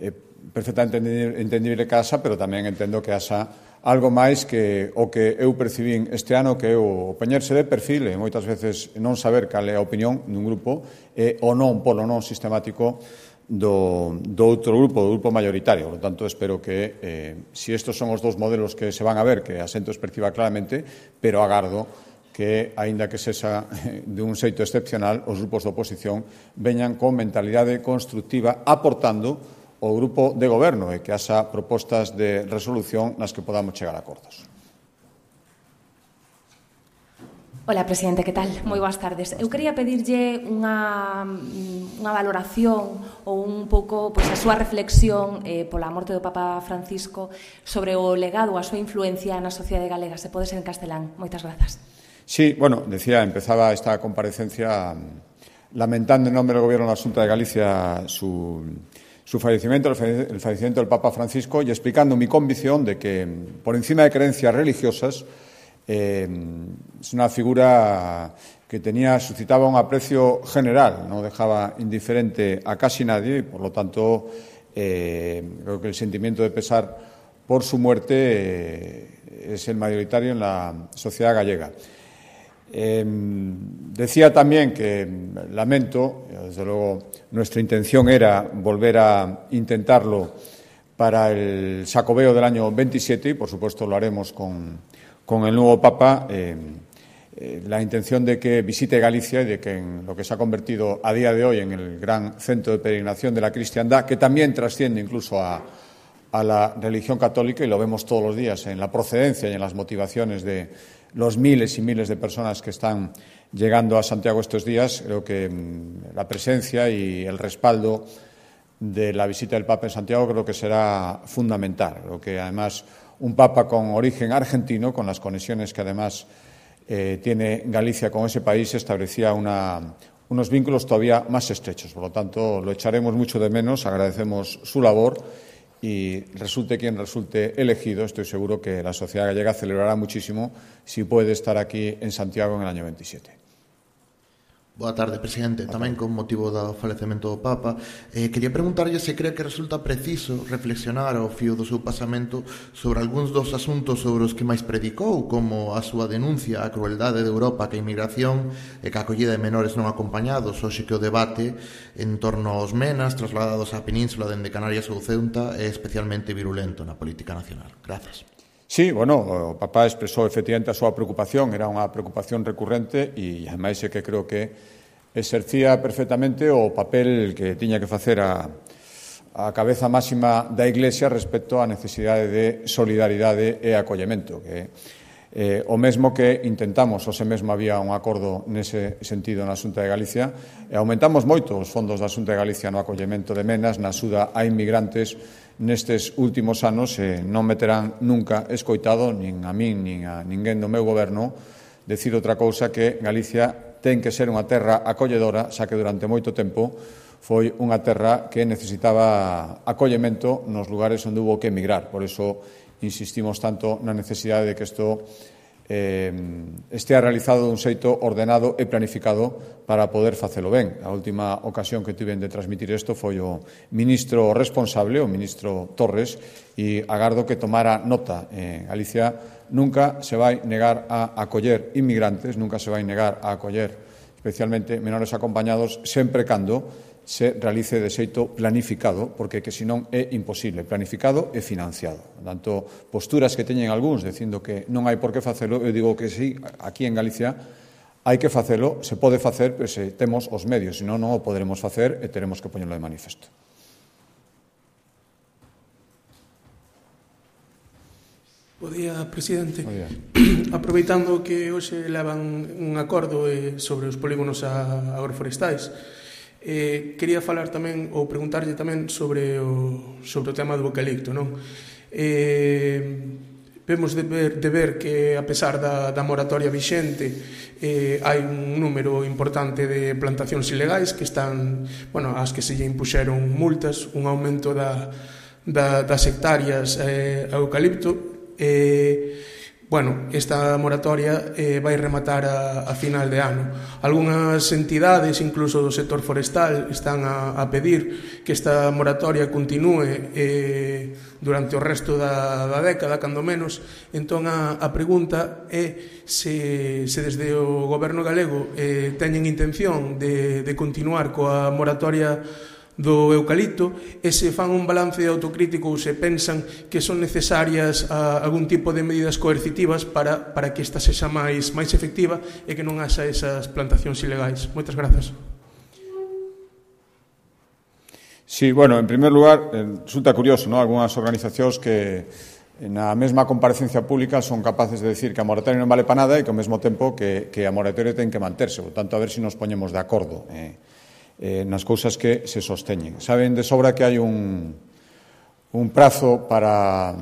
é perfectamente entendible que haxa, pero tamén entendo que haxa algo máis que o que eu percibín este ano, que é o poñerse de perfil e moitas veces non saber cal é a opinión dun grupo e o non polo non sistemático do, do outro grupo, do grupo mayoritario. Por lo tanto, espero que, eh, si estos son os dous modelos que se van a ver, que a xente os perciba claramente, pero agardo que, aínda que sexa de un xeito excepcional, os grupos de oposición veñan con mentalidade constructiva, aportando o grupo de goberno e que haxa propostas de resolución nas que podamos chegar a acordos. Hola, presidente, que tal? Moi boas tardes. Eu quería pedirlle unha, unha valoración ou un pouco pois, a súa reflexión eh, pola morte do Papa Francisco sobre o legado, a súa influencia na sociedade galega. Se pode ser en castelán. Moitas grazas. Sí, bueno, decía, empezaba esta comparecencia lamentando en nome do Goberno da Xunta de Galicia su, su fallecimiento, el fallecimiento del Papa Francisco, y explicando mi convicción de que, por encima de creencias religiosas, eh, es una figura que tenía, suscitaba un aprecio general, no dejaba indiferente a casi nadie y, por lo tanto, eh, creo que el sentimiento de pesar por su muerte eh, es el mayoritario en la sociedad gallega. Eh, decía también que lamento, desde luego nuestra intención era volver a intentarlo para el Xacobeo del año veintisiete y por supuesto lo haremos con, con el nuevo Papa, eh, eh, la intención de que visite Galicia y de que en lo que se ha convertido a día de hoy en el gran centro de peregrinación de la cristiandad, que también trasciende incluso a, a la religión católica y lo vemos todos los días en la procedencia y en las motivaciones de los miles y miles de personas que están llegando a Santiago estos días. Creo que la presencia y el respaldo de la visita del Papa en Santiago creo que será fundamental. Creo que además un Papa con origen argentino, con las conexiones que además eh, tiene Galicia con ese país, establecía una, unos vínculos todavía más estrechos. Por lo tanto, lo echaremos mucho de menos, agradecemos su labor y resulte quien resulte elegido, estoy seguro que la sociedad gallega celebrará muchísimo si puede estar aquí en Santiago en el año veintisiete. Boa tarde, presidente. Tamén con motivo do falecemento do Papa, eh, quería preguntarlle se cree que resulta preciso reflexionar ao fío do seu pasamento sobre algúns dos asuntos sobre os que máis predicou, como a súa denuncia á crueldade de Europa que a inmigración e que a acollida de menores non acompañados, hoxe que o debate en torno aos menas trasladados á península dende Canarias ou Ceuta é especialmente virulento na política nacional. Grazas. Sí, bueno, o Papa expresou efectivamente a súa preocupación, era unha preocupación recurrente e, ademais, é que creo que exercía perfectamente o papel que tiña que facer a, a cabeza máxima da Iglesia respecto á necesidade de solidaridade e acollemento, que eh, o mesmo que intentamos, ose mesmo había un acordo nese sentido na Xunta de Galicia, e aumentamos moito os fondos da Xunta de Galicia no acollemento de menas, na axuda a inmigrantes nestes últimos anos, e non me terán nunca escoitado, nin a min, nin a ninguén do meu goberno, decir outra cousa que Galicia ten que ser unha terra acolledora, xa que durante moito tempo foi unha terra que necesitaba acollemento nos lugares onde hubo que emigrar. Por iso insistimos tanto na necesidade de que isto eh, estea realizado dun xeito ordenado e planificado para poder facelo ben. A última ocasión que tiven de transmitir isto foi o ministro responsable, o ministro Torres, e agardo que tomara nota. Eh, Galicia nunca se vai negar a acoller inmigrantes, nunca se vai negar a acoller especialmente menores acompañados, sempre cando se realice de xeito planificado, porque que senón é imposible, planificado e financiado. Por tanto, posturas que teñen algúns dicindo que non hai por que facelo, eu digo que sí, aquí en Galicia hai que facelo, se pode facer, pero se temos os medios, senón non o poderemos facer e teremos que poñerlo de manifesto. Bo día, presidente. Bo día. Aproveitando que hoxe levan un acordo sobre os polígonos agroforestais, Eh, quería falar tamén ou preguntarlle tamén sobre o, sobre o tema do eucalipto, non? Eh, vemos de ver, de ver que a pesar da, da moratoria vixente eh, hai un número importante de plantacións ilegais que están, bueno, as que se lle impuxeron multas, un aumento da, da, das hectáreas eh, a eucalipto. eh, Bueno, esta moratoria eh, vai rematar a, a final de ano. Algúnas entidades, incluso do sector forestal, están a, a pedir que esta moratoria continúe eh, durante o resto da, da década, cando menos. Entón, a, a pregunta é se, se desde o goberno galego eh, teñen intención de, de continuar coa moratoria do eucalipto e se fan un balance autocrítico ou se pensan que son necesarias a, algún tipo de medidas coercitivas para, para que esta sexa máis, máis efectiva e que non haxa esas plantacións ilegais. Moitas grazas. Sí, bueno, en primer lugar, resulta curioso, ¿no? Algúnas organizacións que na mesma comparecencia pública son capaces de decir que a moratoria non vale para nada e que ao mesmo tempo que, que a moratoria ten que manterse. Por tanto, a ver se si nos poñemos de acordo eh, eh, nas cousas que se sosteñen. Saben de sobra que hai un, un prazo para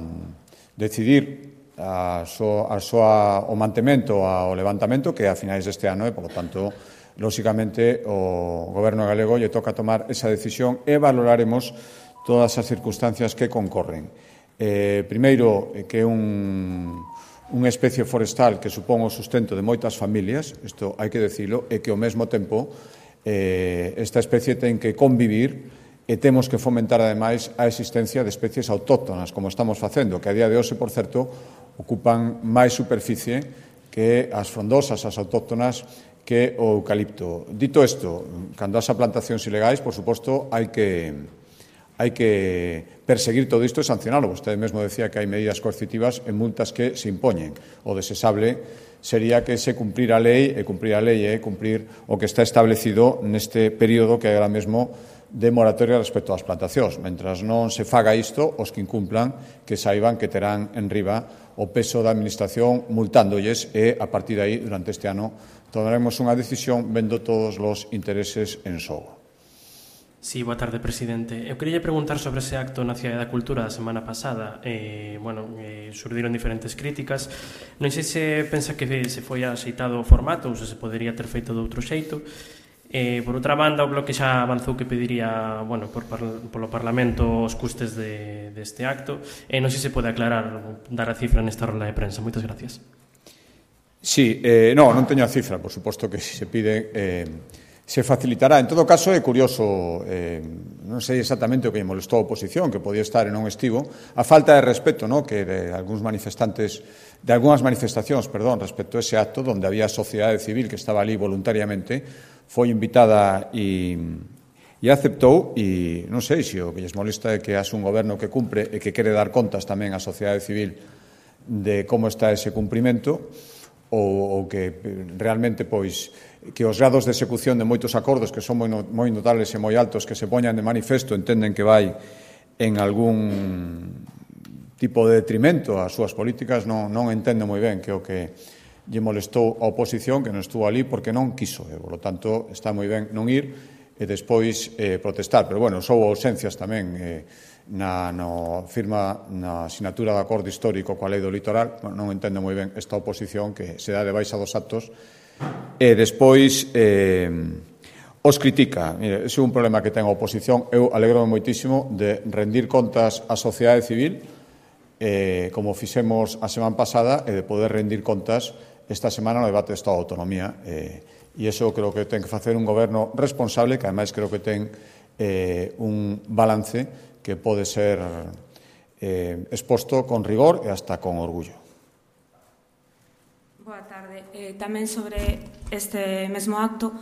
decidir a so, a soa, o mantemento ao levantamento que é a finais deste ano e, por lo tanto, lóxicamente, o goberno galego lle toca tomar esa decisión e valoraremos todas as circunstancias que concorren. Eh, primeiro, que é un, unha especie forestal que supón o sustento de moitas familias, isto hai que decirlo, e que ao mesmo tempo eh, esta especie ten que convivir e temos que fomentar, ademais, a existencia de especies autóctonas, como estamos facendo, que a día de hoxe, por certo, ocupan máis superficie que as frondosas, as autóctonas, que o eucalipto. Dito isto, cando haxa plantacións ilegais, por suposto, hai que, hai que perseguir todo isto e sancionarlo. Vostede mesmo decía que hai medidas coercitivas e multas que se impoñen. O desexable sería que se cumprir a lei, e cumprir a lei é cumprir o que está establecido neste período que hai agora mesmo de moratoria respecto ás plantacións. Mentras non se faga isto, os que incumplan que saiban que terán en riba o peso da Administración multándolles e, a partir de aí, durante este ano, tomaremos unha decisión vendo todos os intereses en xogo. Sí, boa tarde, presidente. Eu queria preguntar sobre ese acto na Cidade da Cultura da semana pasada. Eh, bueno, eh, surdiron diferentes críticas. Non sei se pensa que se foi axeitado o formato ou se se podería ter feito de outro xeito. Eh, por outra banda, o Bloque xa avanzou que pediría, bueno, por, polo Parlamento os custes de, deste acto. E non sei se pode aclarar, dar a cifra nesta rola de prensa. Moitas gracias. Sí, eh, no, non teño a cifra, por suposto que se pide, eh, se facilitará. En todo caso, é curioso, eh, non sei exactamente o que molestou a oposición, que podía estar e non estivo, a falta de respeto, no, que de algúns manifestantes, de algunhas manifestacións, perdón, respecto a ese acto, onde había sociedade civil que estaba ali voluntariamente, foi invitada e, e aceptou, e non sei se o que lles molesta é que haxe un goberno que cumpre e que quere dar contas tamén á sociedade civil de como está ese cumprimento, ou, ou que realmente pois que os grados de execución de moitos acordos que son moi, moi notables e moi altos que se poñan de manifesto entenden que vai en algún tipo de detrimento ás súas políticas, non, non entendo moi ben que o que lle molestou a oposición, que non estuvo ali porque non quiso, e, por lo tanto, está moi ben non ir e despois eh, protestar. Pero, bueno, sou ausencias tamén eh, na no firma na sinatura de acordo histórico coa lei do litoral. Non entendo moi ben esta oposición que se dá de baixa dos actos e despois eh, os critica. Mire, ese é un problema que ten a oposición. Eu alegro moitísimo de rendir contas á sociedade civil, eh, como fixemos a semana pasada, e de poder rendir contas esta semana no debate do Estado de Autonomía. Eh, e iso creo que ten que facer un goberno responsable, que ademais creo que ten eh, un balance que pode ser eh, exposto con rigor e hasta con orgullo. Boa tarde. Eh, tamén sobre este mesmo acto,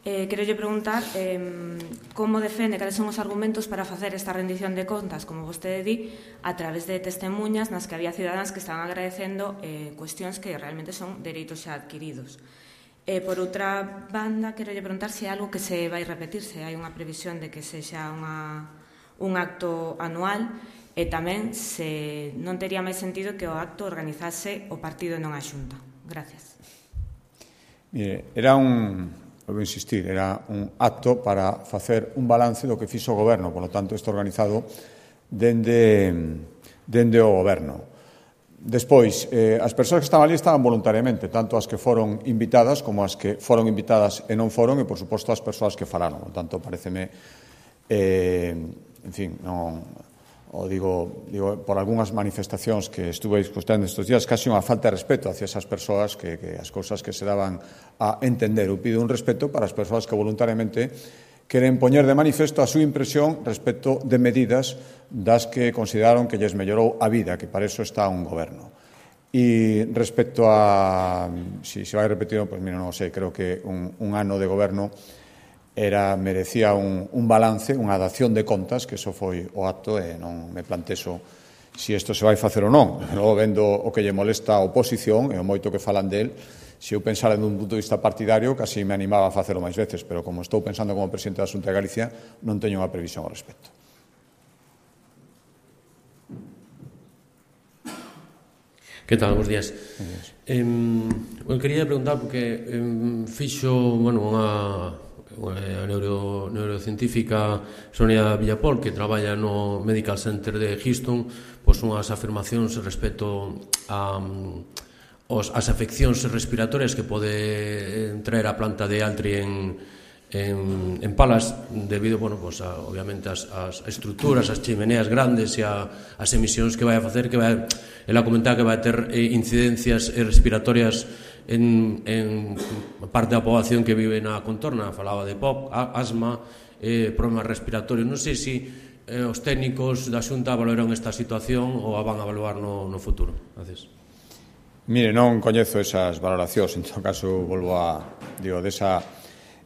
eh, quero lle preguntar eh, como defende, cales son os argumentos para facer esta rendición de contas, como vostede di, a través de testemunhas nas que había cidadáns que estaban agradecendo eh, cuestións que realmente son dereitos xa adquiridos. Eh, por outra banda, quero lle preguntar se é algo que se vai repetir, se hai unha previsión de que sexa unha un acto anual e tamén se non tería máis sentido que o acto organizase o partido e non a Xunta. Gracias. Mire, era un, vou insistir, era un acto para facer un balance do que fixo o goberno, por lo tanto, isto organizado dende, dende o goberno. Despois, eh, as persoas que estaban ali estaban voluntariamente, tanto as que foron invitadas como as que foron invitadas e non foron, e, por suposto, as persoas que falaron. Por tanto, pareceme... Eh, en fin, non, o digo, digo por algunhas manifestacións que estuve escutando estes días, casi unha falta de respeto hacia esas persoas que, que as cousas que se daban a entender. Eu pido un respeto para as persoas que voluntariamente queren poñer de manifesto a súa impresión respecto de medidas das que consideraron que lles mellorou a vida, que para eso está un goberno. E respecto a, si se vai repetir, pues mira, non sei, creo que un, un ano de goberno era merecía un, un balance, unha dación de contas, que iso foi o acto e non me plantexo se isto se vai facer ou non. Logo, vendo o que lle molesta a oposición e o moito que falan del, se eu pensara dun punto de vista partidario, casi me animaba a facelo máis veces, pero como estou pensando como presidente da Xunta de Galicia, non teño unha previsión ao respecto. Que tal? Bos días. Eh, eu quería preguntar porque eh, fixo, bueno, unha a neuro, neurocientífica Sonia Villapol, que traballa no Medical Center de Houston, pois unhas afirmacións respecto a os, as afeccións respiratorias que pode traer a planta de Altri en, en, en Palas debido, bueno, pues a, obviamente as, as estruturas, as chimeneas grandes e a, as emisións que vai a facer, que vai, ela comentaba que vai ter eh, incidencias respiratorias en, en parte da poboación que vive na contorna, falaba de P O C, asma, eh, problemas respiratorios. Non sei se eh, os técnicos da Xunta valoran esta situación ou a van a evaluar no, no futuro. Gracias. Mire, non coñezo esas valoracións, en todo caso volvo a, digo, desa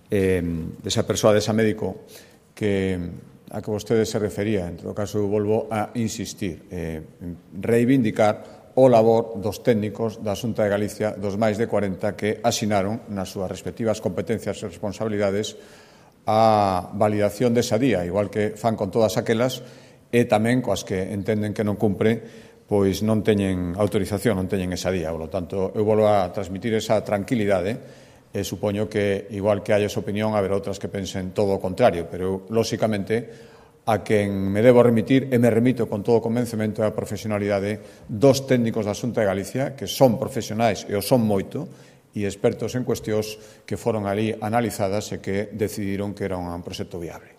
Eh, desa persoa, desa médico que a que vostede se refería. En todo caso, volvo a insistir, eh, reivindicar o labor dos técnicos da Xunta de Galicia, dos máis de cuarenta que asinaron nas súas respectivas competencias e responsabilidades a validación desa día, igual que fan con todas aquelas e tamén coas que entenden que non cumpre, pois non teñen autorización, non teñen esa día. Por lo tanto, eu volvo a transmitir esa tranquilidade. E supoño que, igual que hai esa opinión, haberá outras que pensen todo o contrario, pero, lóxicamente, a quen me debo remitir, e me remito con todo o convencemento e a profesionalidade dos técnicos da Xunta de Galicia, que son profesionais e o son moito, e expertos en cuestións que foron ali analizadas e que decidiron que era un proxecto viable.